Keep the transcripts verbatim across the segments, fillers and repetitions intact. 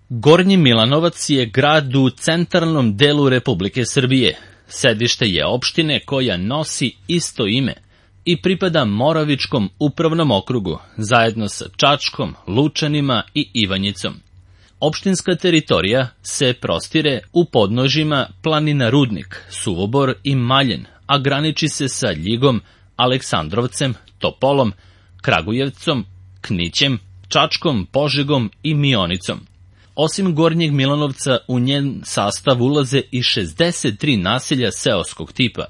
Gornji Milanovac je grad u centralnom delu Republike Srbije. Sedište je opštine koja nosi isto ime i pripada Moravičkom upravnom okrugu, zajedno sa Čačkom, Lučanima i Ivanjicom. Opštinska teritorija se prostire u podnožjima planina Rudnik, Suvobor i Maljen, a graniči se sa Ljigom, Aleksandrovcem, Topolom, Kragujevcom, Knićem, Čačkom, Požegom i Mionicom. Osim Gornjeg Milanovca, u njen sastav ulaze i šezdeset tri naselja seoskog tipa.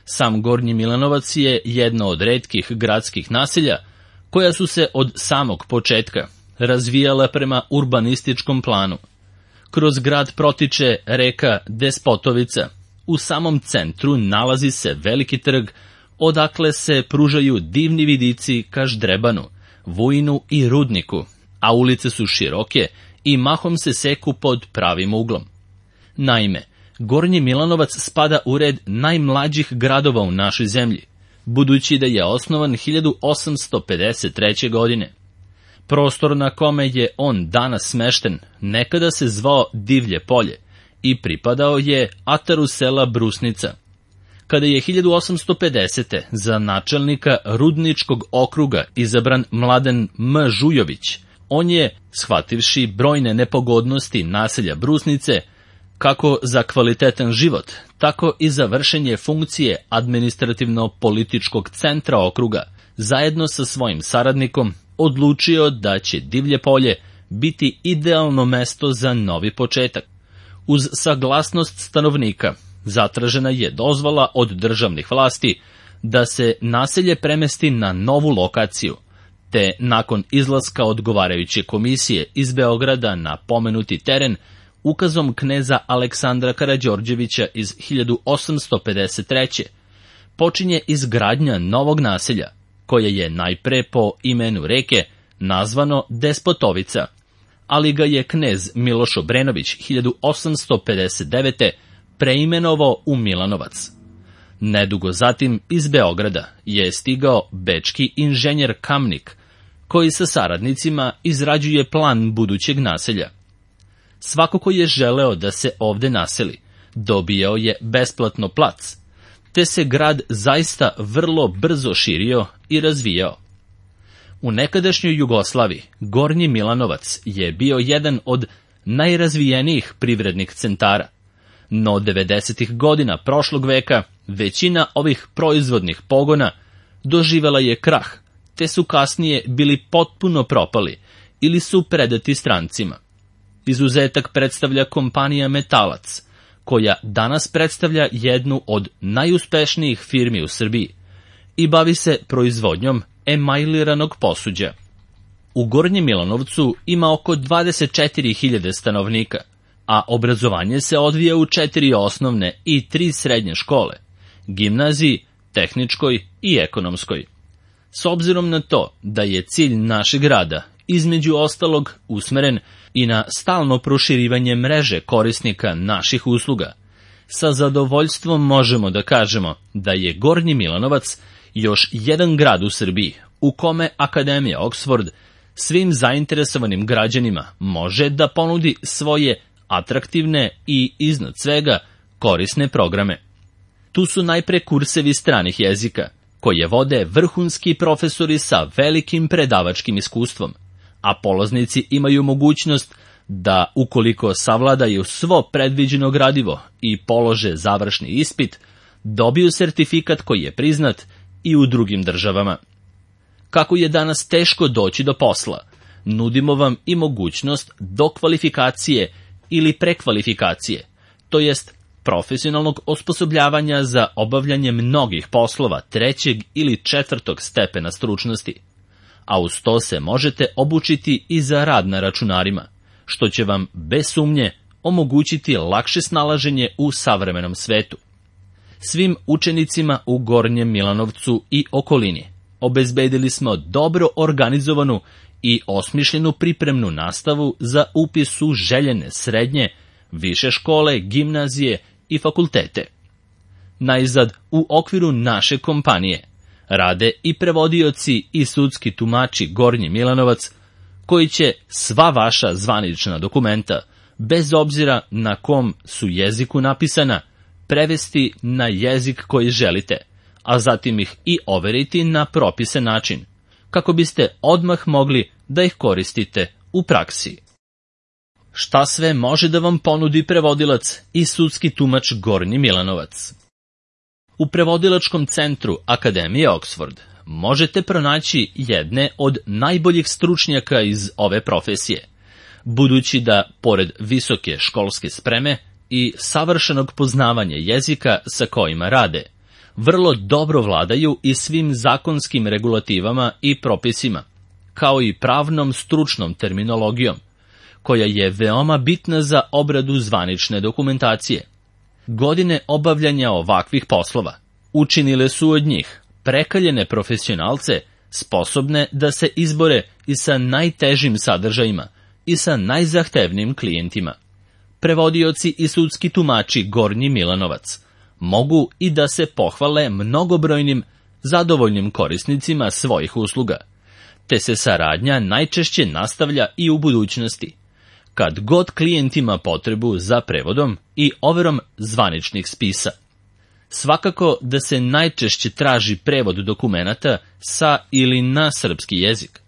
Sam Gornji Milanovac je jedno od retkih gradskih naselja koja su se od samog početka razvijala prema urbanističkom planu. Kroz grad protiče reka Despotovica. U samom centru nalazi se veliki trg, odakle se pružaju divni vidici ka Ždrebanu, Vujinu i Rudniku, a ulice su široke i mahom se seku pod pravim uglom. Naime, Gornji Milanovac spada u red najmlađih gradova u našoj zemlji, budući da je osnovan hiljadu osamsto pedeset treće. godine. Prostor na kome je on danas smešten nekada se zvao Divlje polje i pripadao je ataru sela Brusnica. Kada je hiljadu osamsto pedesete. za načelnika Rudničkog okruga izabran Mladen M. Žujović, on je, shvativši brojne nepogodnosti naselja Brusnice, kako za kvalitetan život, tako i za vršenje funkcije administrativno-političkog centra okruga, zajedno sa svojim saradnikom, odlučio da će Divlje polje biti idealno mesto za novi početak. Uz saglasnost stanovnika, zatražena je dozvola od državnih vlasti da se naselje premesti na novu lokaciju, te nakon izlaska odgovarajuće komisije iz Beograda na pomenuti teren, ukazom kneza Aleksandra Karađorđevića iz hiljadu osamsto pedeset treće. počinje izgradnja novog naselja, koje je najpre po imenu reke nazvano Despotovica, ali ga je knez Miloš Obrenović hiljadu osamsto pedeset devete. preimenovao u Milanovac. Nedugo zatim iz Beograda je stigao bečki inženjer Kamnik, koji sa saradnicima izrađuje plan budućeg naselja. Svako ko je želeo da se ovde naseli, dobijao je besplatno plac, te se grad zaista vrlo brzo širio i razvijao. U nekadašnjoj Jugoslaviji Gornji Milanovac je bio jedan od najrazvijenijih privrednih centara, no devedesetih godina prošlog veka većina ovih proizvodnih pogona doživela je krah, te su kasnije bili potpuno propali ili su predati strancima. Izuzetak predstavlja kompanija Metalac, koja danas predstavlja jednu od najuspešnijih firmi u Srbiji i bavi se proizvodnjom emajliranog posuđa. U Gornjem Milanovcu ima oko dvadeset četiri hiljade stanovnika, a obrazovanje se odvija u četiri osnovne i tri srednje škole, gimnaziji, tehničkoj i ekonomskoj. S obzirom na to da je cilj našeg rada, između ostalog, usmeren i na stalno proširivanje mreže korisnika naših usluga, sa zadovoljstvom možemo da kažemo da je Gornji Milanovac još jedan grad u Srbiji u kome Akademija Oxford svim zainteresovanim građanima može da ponudi svoje atraktivne i, iznad svega, korisne programe. Tu su najpre kursevi stranih jezika, koje vode vrhunski profesori sa velikim predavačkim iskustvom, a polaznici imaju mogućnost da, ukoliko savladaju svo predviđeno gradivo i polože završni ispit, dobiju sertifikat koji je priznat i u drugim državama. Kako je danas teško doći do posla, nudimo vam i mogućnost dokvalifikacije ili prekvalifikacije, to jest profesionalnog osposobljavanja za obavljanje mnogih poslova trećeg ili četvrtog stepena stručnosti, a uz to se možete obučiti i za rad na računarima, što će vam bez sumnje omogućiti lakše snalaženje u savremenom svetu. Svim učenicima u Gornjem Milanovcu i okolini obezbedili smo dobro organizovanu i osmišljenu pripremnu nastavu za upis u željene srednje, više škole, gimnazije i fakultete. Najzad, u okviru naše kompanije rade i prevodioci i sudski tumači Gornji Milanovac, koji će sva vaša zvanična dokumenta, bez obzira na kom su jeziku napisana, prevesti na jezik koji želite, a zatim ih i overiti na propisan način, kako biste odmah mogli da ih koristite u praksi. Šta sve može da vam ponudi prevodilac i sudski tumač Gornji Milanovac? U prevodilačkom centru Akademije Oxford možete pronaći jedne od najboljih stručnjaka iz ove profesije, budući da, pored visoke školske spreme i savršenog poznavanja jezika sa kojima rade, vrlo dobro vladaju i svim zakonskim regulativama i propisima, kao i pravnom stručnom terminologijom, koja je veoma bitna za obradu zvanične dokumentacije. Godine obavljanja ovakvih poslova učinile su od njih prekaljene profesionalce sposobne da se izbore i sa najtežim sadržajima i sa najzahtevnijim klijentima. Prevodioci i sudski tumači Gornji Milanovac mogu i da se pohvale mnogobrojnim zadovoljnim korisnicima svojih usluga, te se saradnja najčešće nastavlja i u budućnosti, kad god klijent ima potrebu za prevodom i overom zvaničnih spisa. Svakako da se najčešće traži prevod dokumenata sa ili na srpski jezik,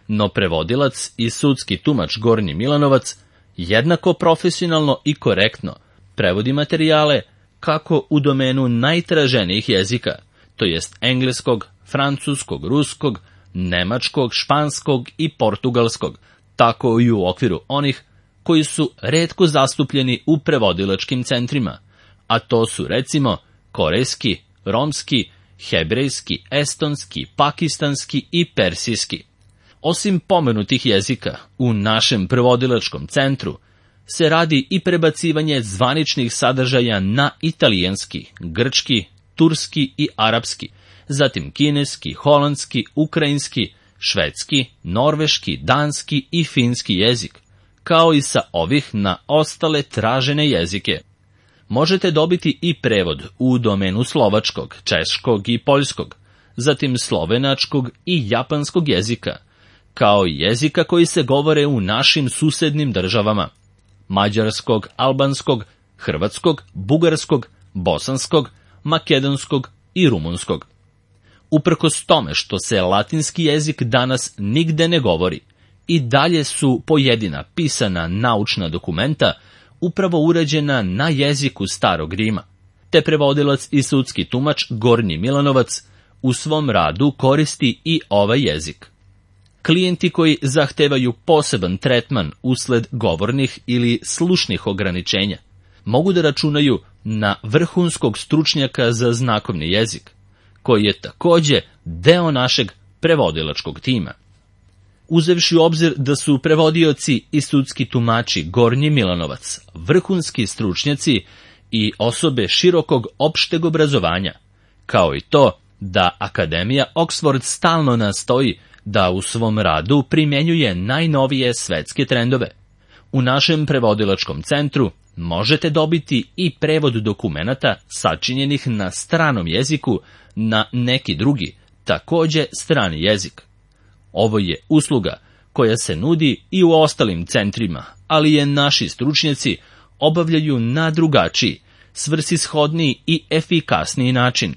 no prevodilac i sudski tumač Gornji Milanovac jednako profesionalno i korektno prevodi materijale kako u domenu najtraženijih jezika, to jest engleskog, francuskog, ruskog, nemačkog, španskog i portugalskog, tako i u okviru onih koji su retko zastupljeni u prevodilačkim centrima, a to su recimo korejski, romski, hebrejski, estonski, pakistanski i persijski. Osim pomenutih jezika, u našem prevodilačkom centru se radi i prebacivanje zvaničnih sadržaja na italijanski, grčki, turski i arapski, zatim kineski, holandski, ukrajinski, švedski, norveški, danski i finski jezik, kao i sa ovih na ostale tražene jezike. Možete dobiti i prevod u domenu slovačkog, češkog i poljskog, zatim slovenačkog i japanskog jezika, kao i jezika koji se govore u našim susednim državama, mađarskog, albanskog, hrvatskog, bugarskog, bosanskog, makedonskog i rumunskog. Uprkos tome što se latinski jezik danas nigde ne govori, i dalje su pojedina pisana naučna dokumenta upravo urađena na jeziku Starog Rima, te prevodilac i sudski tumač Gornji Milanovac u svom radu koristi i ovaj jezik. Klijenti koji zahtevaju poseban tretman usled govornih ili slušnih ograničenja mogu da računaju na vrhunskog stručnjaka za znakovni jezik, koji je takođe deo našeg prevodilačkog tima. Uzevši u obzir da su prevodioci i sudski tumači Gornji Milanovac vrhunski stručnjaci i osobe širokog opšteg obrazovanja, kao i to da Akademija Oxford stalno nastoji da u svom radu primjenjuje najnovije svetske trendove. U našem prevodilačkom centru možete dobiti i prevod dokumenata sačinjenih na stranom jeziku na neki drugi, takođe strani jezik. Ovo je usluga koja se nudi i u ostalim centrima, ali je naši stručnjaci obavljaju na drugačiji, svrsishodniji i efikasniji način.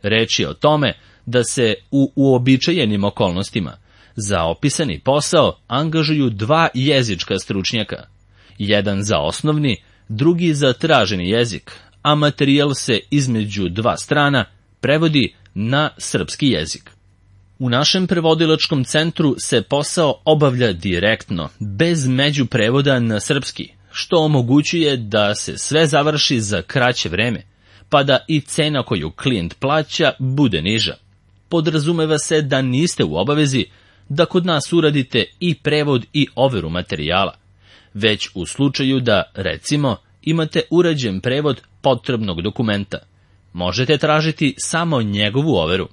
Reč je o tome da se u uobičajenim okolnostima za opisani posao angažuju dva jezička stručnjaka, jedan za osnovni, drugi za traženi jezik, a materijal se između dva strana prevodi na srpski jezik. U našem prevodilačkom centru se posao obavlja direktno, bez međuprevoda na srpski, što omogućuje da se sve završi za kraće vreme, pa da i cena koju klijent plaća bude niža. Podrazumeva se da niste u obavezi da kod nas uradite i prevod i overu materijala, već u slučaju da, recimo, imate urađen prevod potrebnog dokumenta, možete tražiti samo njegovu overu.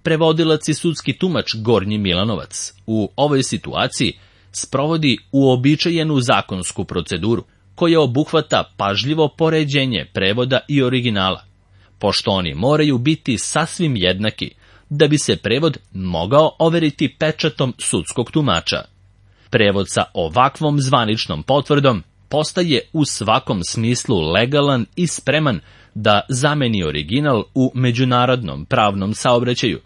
Prevodilac i sudski tumač Gornji Milanovac u ovoj situaciji sprovodi uobičajenu zakonsku proceduru, koja obuhvata pažljivo poređenje prevoda i originala, pošto oni moraju biti sasvim jednaki da bi se prevod mogao overiti pečatom sudskog tumača. Prevod sa ovakvom zvaničnom potvrdom postaje u svakom smislu legalan i spreman da zameni original u međunarodnom pravnom saobraćaju.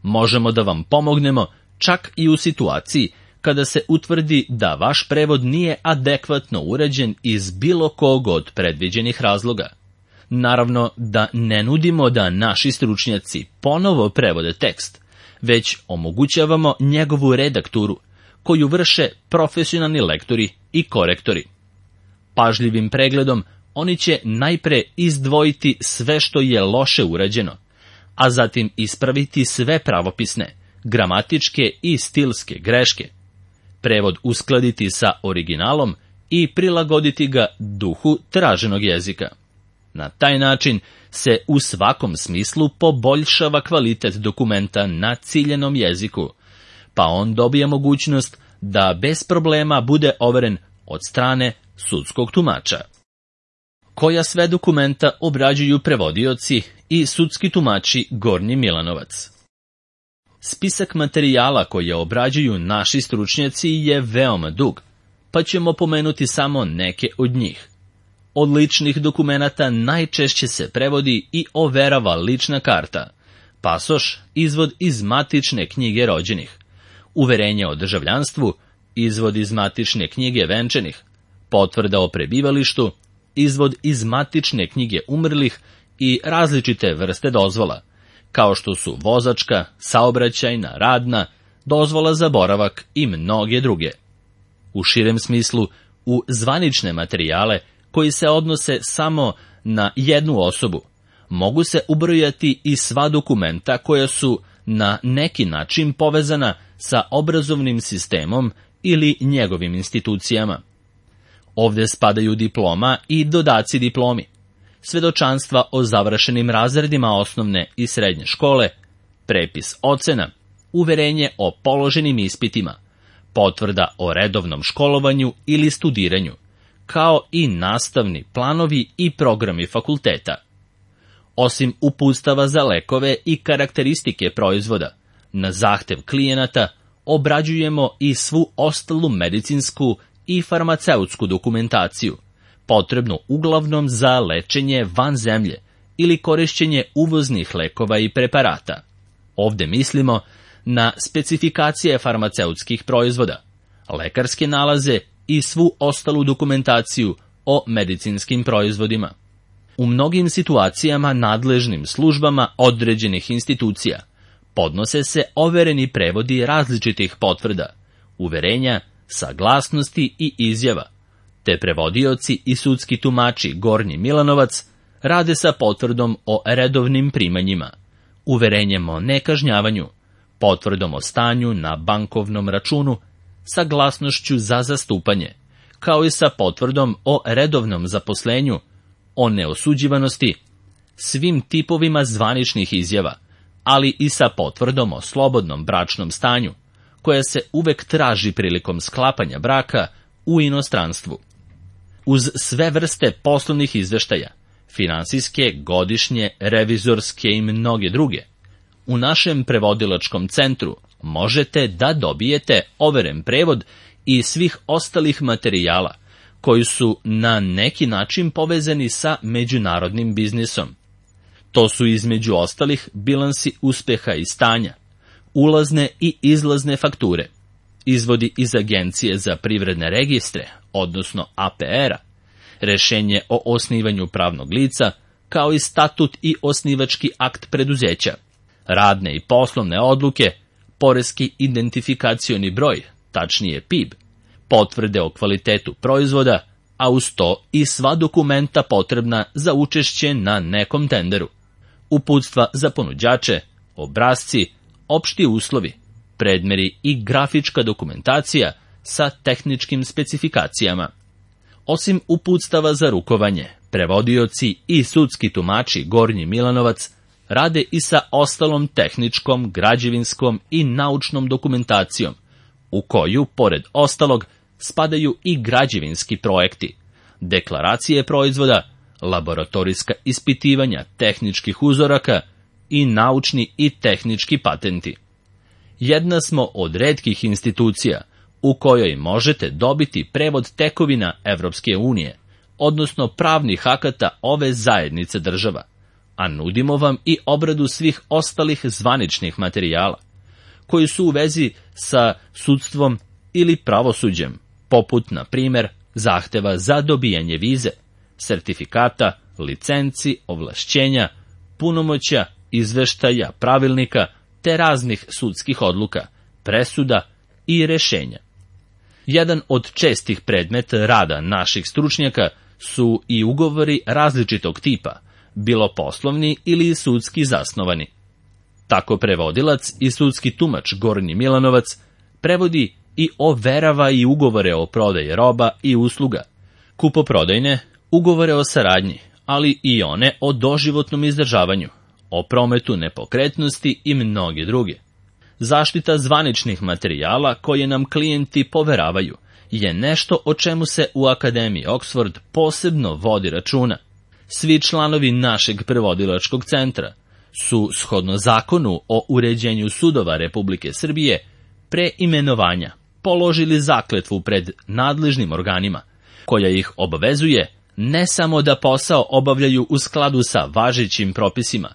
Možemo da vam pomognemo čak i u situaciji kada se utvrdi da vaš prevod nije adekvatno urađen iz bilo kog od predviđenih razloga. Naravno da ne nudimo da naši stručnjaci ponovo prevode tekst, već omogućavamo njegovu redakturu, koju vrše profesionalni lektori i korektori. Pažljivim pregledom oni će najpre izdvojiti sve što je loše urađeno, a zatim ispraviti sve pravopisne, gramatičke i stilske greške, prevod uskladiti sa originalom i prilagoditi ga duhu traženog jezika. Na taj način se u svakom smislu poboljšava kvalitet dokumenta na ciljenom jeziku, pa on dobije mogućnost da bez problema bude overen od strane sudskog tumača. Koja sve dokumenta obrađuju prevodioci i sudski tumači Gornji Milanovac? Spisak materijala koje obrađuju naši stručnjaci je veoma dug, pa ćemo pomenuti samo neke od njih. Od ličnih dokumenata najčešće se prevodi i overava lična karta, pasoš, izvod iz matične knjige rođenih, uverenje o državljanstvu, izvod iz matične knjige venčanih, potvrda o prebivalištu, izvod iz matične knjige umrlih i različite vrste dozvola, kao što su vozačka, saobraćajna, radna, dozvola za boravak i mnoge druge. U širem smislu, u zvanične materijale koji se odnose samo na jednu osobu, mogu se ubrojati i sva dokumenta koja su na neki način povezana sa obrazovnim sistemom ili njegovim institucijama. Ovdje spadaju diploma i dodaci diplomi, svedočanstva o završenim razredima osnovne i srednje škole, prepis ocena, uverenje o položenim ispitima, potvrda o redovnom školovanju ili studiranju, kao i nastavni planovi i programi fakulteta. Osim uputstava za lekove i karakteristike proizvoda, na zahtev klijenata obrađujemo i svu ostalu medicinsku i farmaceutsku dokumentaciju, potrebnu uglavnom za lečenje van zemlje ili korišćenje uvoznih lekova i preparata. Ovdje mislimo na specifikacije farmaceutskih proizvoda, lekarske nalaze i svu ostalu dokumentaciju o medicinskim proizvodima. U mnogim situacijama nadležnim službama određenih institucija podnose se overeni prevodi različitih potvrda, uverenja, saglasnosti i izjava, te prevodioci i sudski tumači Gornji Milanovac rade sa potvrdom o redovnim primanjima, uverenjem o nekažnjavanju, potvrdom o stanju na bankovnom računu, saglasnošću za zastupanje, kao i sa potvrdom o redovnom zaposlenju, o neosuđivanosti, svim tipovima zvaničnih izjava, ali i sa potvrdom o slobodnom bračnom stanju, koja se uvek traži prilikom sklapanja braka u inostranstvu. Uz sve vrste poslovnih izveštaja, finansijske, godišnje, revizorske i mnoge druge, u našem prevodilačkom centru možete da dobijete overen prevod i svih ostalih materijala koji su na neki način povezani sa međunarodnim biznisom. To su između ostalih bilansi uspeha i stanja, ulazne i izlazne fakture, izvodi iz Agencije za privredne registre, odnosno A P R-a, rešenje o osnivanju pravnog lica, kao i statut i osnivački akt preduzeća, radne i poslovne odluke, poreski identifikacioni broj, tačnije P I B, potvrde o kvalitetu proizvoda, a uz to i sva dokumenta potrebna za učešće na nekom tenderu, uputstva za ponuđače, obrasci, opšti uslovi, predmeri i grafička dokumentacija sa tehničkim specifikacijama. Osim uputstava za rukovanje, prevodioci i sudski tumači Gornji Milanovac rade i sa ostalom tehničkom, građevinskom i naučnom dokumentacijom, u koju, pored ostalog, spadaju i građevinski projekti, deklaracije proizvoda, laboratorijska ispitivanja tehničkih uzoraka i naučni i tehnički patenti. Jedna smo od retkih institucija u kojoj možete dobiti prevod tekovina Evropske unije, odnosno pravnih akata ove zajednice država, a nudimo vam i obradu svih ostalih zvaničnih materijala, koji su u vezi sa sudstvom ili pravosuđem, poput, na primer, zahteva za dobijanje vize, sertifikata, licenci, ovlašćenja, punomoćja, izveštaja, pravilnika, te raznih sudskih odluka, presuda i rešenja. Jedan od čestih predmeta rada naših stručnjaka su i ugovori različitog tipa, bilo poslovni ili sudski zasnovani. Tako prevodilac i sudski tumač Gornji Milanovac prevodi i overava i ugovore o prodaji roba i usluga, kupoprodajne, ugovore o saradnji, ali i one o doživotnom izdržavanju, o prometu nepokretnosti i mnoge druge. Zaštita zvaničnih materijala koje nam klijenti poveravaju je nešto o čemu se u Akademiji Oxford posebno vodi računa. Svi članovi našeg prevodilačkog centra su, shodno zakonu o uređenju sudova Republike Srbije, pre imenovanja položili zakletvu pred nadležnim organima, koja ih obavezuje ne samo da posao obavljaju u skladu sa važećim propisima,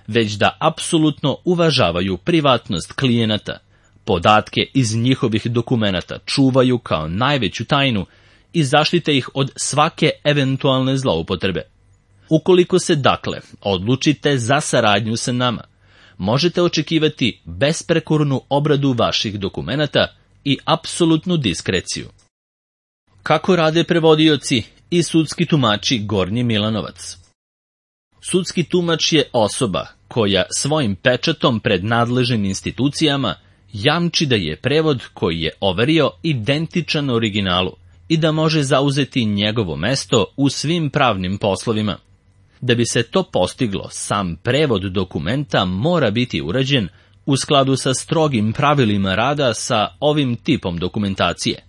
već da apsolutno uvažavaju privatnost klijenata, podatke iz njihovih dokumenata čuvaju kao najveću tajnu i zaštite ih od svake eventualne zloupotrebe. Ukoliko se, dakle, odlučite za saradnju sa nama, možete očekivati besprekornu obradu vaših dokumenata i apsolutnu diskreciju. Kako rade prevodioci i sudski tumači Gornji Milanovac? Sudski tumač je osoba koja svojim pečatom pred nadležnim institucijama jamči da je prevod koji je overio identičan originalu i da može zauzeti njegovo mesto u svim pravnim poslovima. Da bi se to postiglo, sam prevod dokumenta mora biti urađen u skladu sa strogim pravilima rada sa ovim tipom dokumentacije,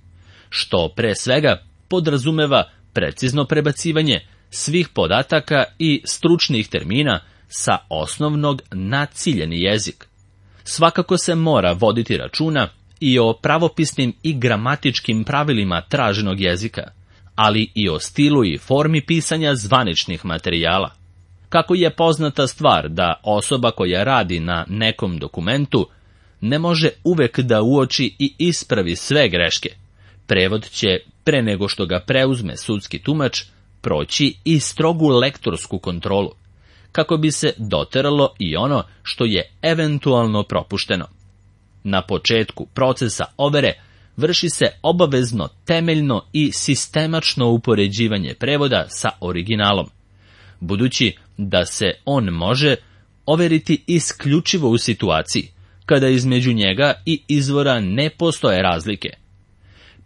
što pre svega podrazumeva precizno prebacivanje svih podataka i stručnih termina sa osnovnog na ciljeni jezik. Svakako se mora voditi računa i o pravopisnim i gramatičkim pravilima traženog jezika, ali i o stilu i formi pisanja zvaničnih materijala. Kako je poznata stvar da osoba koja radi na nekom dokumentu ne može uvek da uoči i ispravi sve greške, prevod će, pre nego što ga preuzme sudski tumač, proći i strogu lektorsku kontrolu, kako bi se doteralo i ono što je eventualno propušteno. Na početku procesa overe vrši se obavezno temeljno i sistemačno upoređivanje prevoda sa originalom, budući da se on može overiti isključivo u situaciji kada između njega i izvora ne postoje razlike.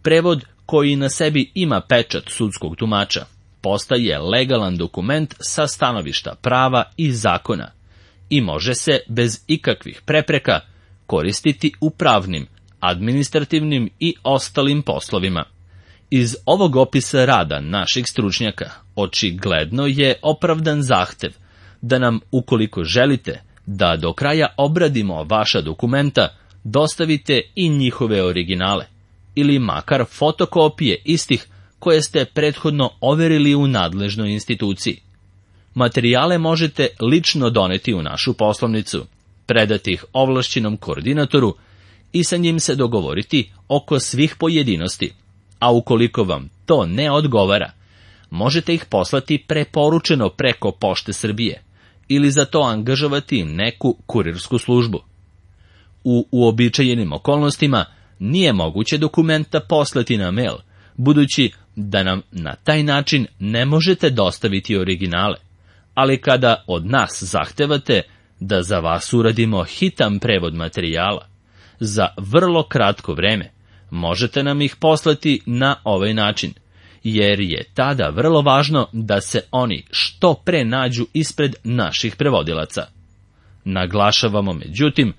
Prevod koji na sebi ima pečat sudskog tumača postaje legalan dokument sa stanovišta prava i zakona i može se bez ikakvih prepreka koristiti u pravnim, administrativnim i ostalim poslovima. Iz ovog opisa rada naših stručnjaka očigledno je opravdan zahtev da nam, ukoliko želite da do kraja obradimo vaša dokumenta, dostavite i njihove originale, ili makar fotokopije istih koje ste prethodno overili u nadležnoj instituciji. Materijale možete lično doneti u našu poslovnicu, predati ih ovlašćenom koordinatoru i sa njim se dogovoriti oko svih pojedinosti, a ukoliko vam to ne odgovara, možete ih poslati preporučeno preko Pošte Srbije ili za to angažovati neku kurirsku službu. U uobičajenim okolnostima nije moguće dokumenta poslati na mail, budući da nam na taj način ne možete dostaviti originale, ali kada od nas zahtevate da za vas uradimo hitan prevod materijala, za vrlo kratko vreme možete nam ih poslati na ovaj način, jer je tada vrlo važno da se oni što pre nađu ispred naših prevodilaca. Naglašavamo, međutim,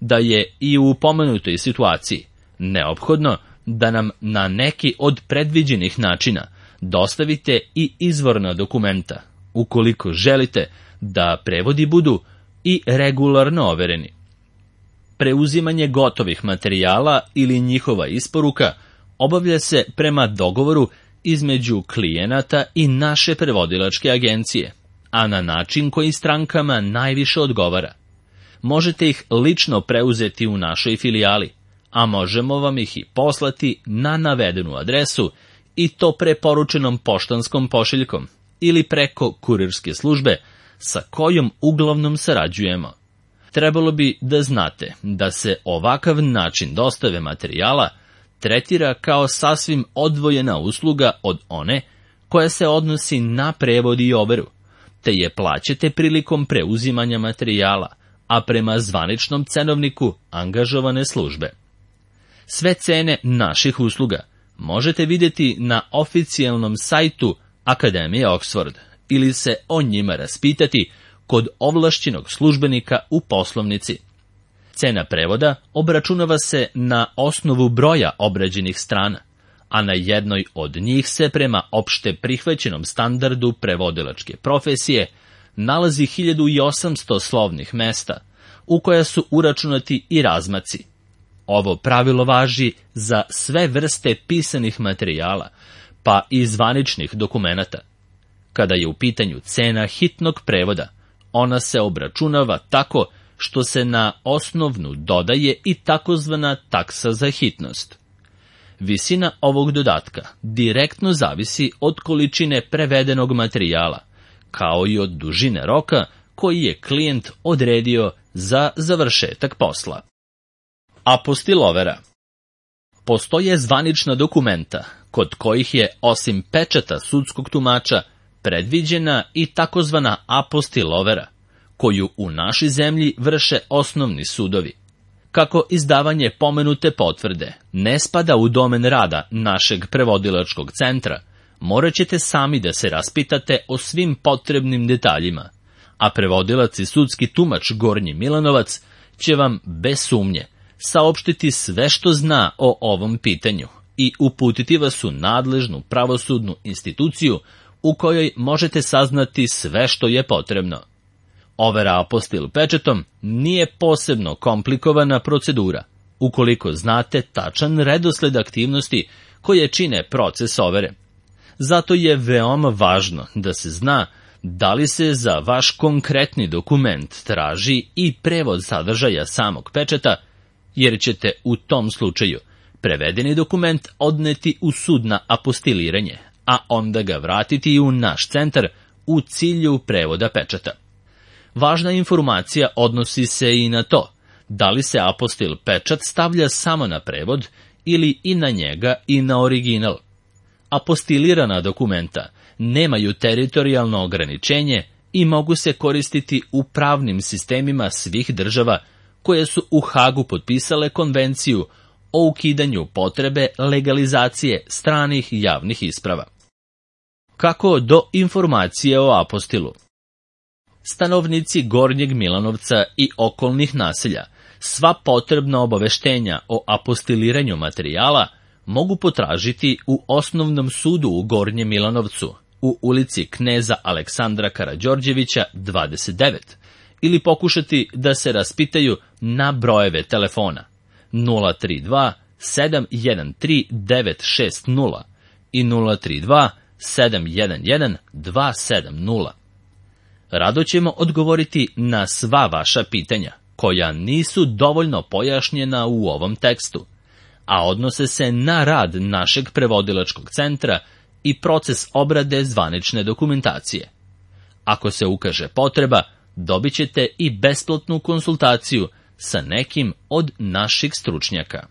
da je i u pomenutoj situaciji neophodno da nam na neki od predviđenih načina dostavite i izvorna dokumenta, ukoliko želite da prevodi budu i regularno overeni. Preuzimanje gotovih materijala ili njihova isporuka obavlja se prema dogovoru između klijenata i naše prevodilačke agencije, a na način koji strankama najviše odgovara. Možete ih lično preuzeti u našoj filijali, a možemo vam ih i poslati na navedenu adresu i to preporučenom poštanskom pošiljkom ili preko kurirske službe sa kojom uglavnom sarađujemo. Trebalo bi da znate da se ovakav način dostave materijala tretira kao sasvim odvojena usluga od one koja se odnosi na prevod i overu, te je plaćate prilikom preuzimanja materijala, a prema zvaničnom cenovniku angažovane službe. Sve cene naših usluga možete vidjeti na oficijalnom sajtu Akademije Oxford ili se o njima raspitati kod ovlašćenog službenika u poslovnici. Cena prevoda obračunava se na osnovu broja obrađenih strana, a na jednoj od njih se prema opšte prihvaćenom standardu prevodilačke profesije nalazi hiljadu osamsto slovnih mesta, u koja su uračunati i razmaci. Ovo pravilo važi za sve vrste pisanih materijala, pa i zvaničnih dokumenata. Kada je u pitanju cena hitnog prevoda, ona se obračunava tako što se na osnovnu dodaje i takozvana taksa za hitnost. Visina ovog dodatka direktno zavisi od količine prevedenog materijala, kao i od dužine roka koji je klijent odredio za završetak posla. Apostilovera. Postoje zvanična dokumenta kod kojih je osim pečata sudskog tumača predviđena i takozvana apostilovera, koju u našoj zemlji vrše osnovni sudovi. Kako izdavanje pomenute potvrde ne spada u domen rada našeg prevodilačkog centra, morat ćete sami da se raspitate o svim potrebnim detaljima, a prevodilac i sudski tumač Gornji Milanovac će vam bez sumnje saopštiti sve što zna o ovom pitanju i uputiti vas u nadležnu pravosudnu instituciju u kojoj možete saznati sve što je potrebno. Overa apostil pečetom nije posebno komplikovana procedura, ukoliko znate tačan redosled aktivnosti koje čine proces overe. Zato je veoma važno da se zna da li se za vaš konkretni dokument traži i prevod sadržaja samog pečata, jer ćete u tom slučaju prevedeni dokument odneti u sud na apostiliranje, a onda ga vratiti u naš centar u cilju prevoda pečata. Važna informacija odnosi se i na to da li se apostil pečat stavlja samo na prevod ili i na njega i na original. Apostilirana dokumenta nemaju teritorijalno ograničenje i mogu se koristiti u pravnim sistemima svih država koje su u Hagu potpisale konvenciju o ukidanju potrebe legalizacije stranih javnih isprava. Kako do informacije o apostilu? Stanovnici Gornjeg Milanovca i okolnih naselja sva potrebna obaveštenja o apostiliranju materijala mogu potražiti u Osnovnom sudu u Gornjem Milanovcu, u ulici Kneza Aleksandra Karađorđevića dvadeset devet, ili pokušati da se raspitaju na brojeve telefona nula tri dva sedam jedan tri devet šest nula i nula tri dva sedam jedan jedan dva sedam nula. Rado ćemo odgovoriti na sva vaša pitanja, koja nisu dovoljno pojašnjena u ovom tekstu, a odnose se na rad našeg prevodilačkog centra i proces obrade zvanične dokumentacije. Ako se ukaže potreba, dobit ćete i besplatnu konsultaciju sa nekim od naših stručnjaka.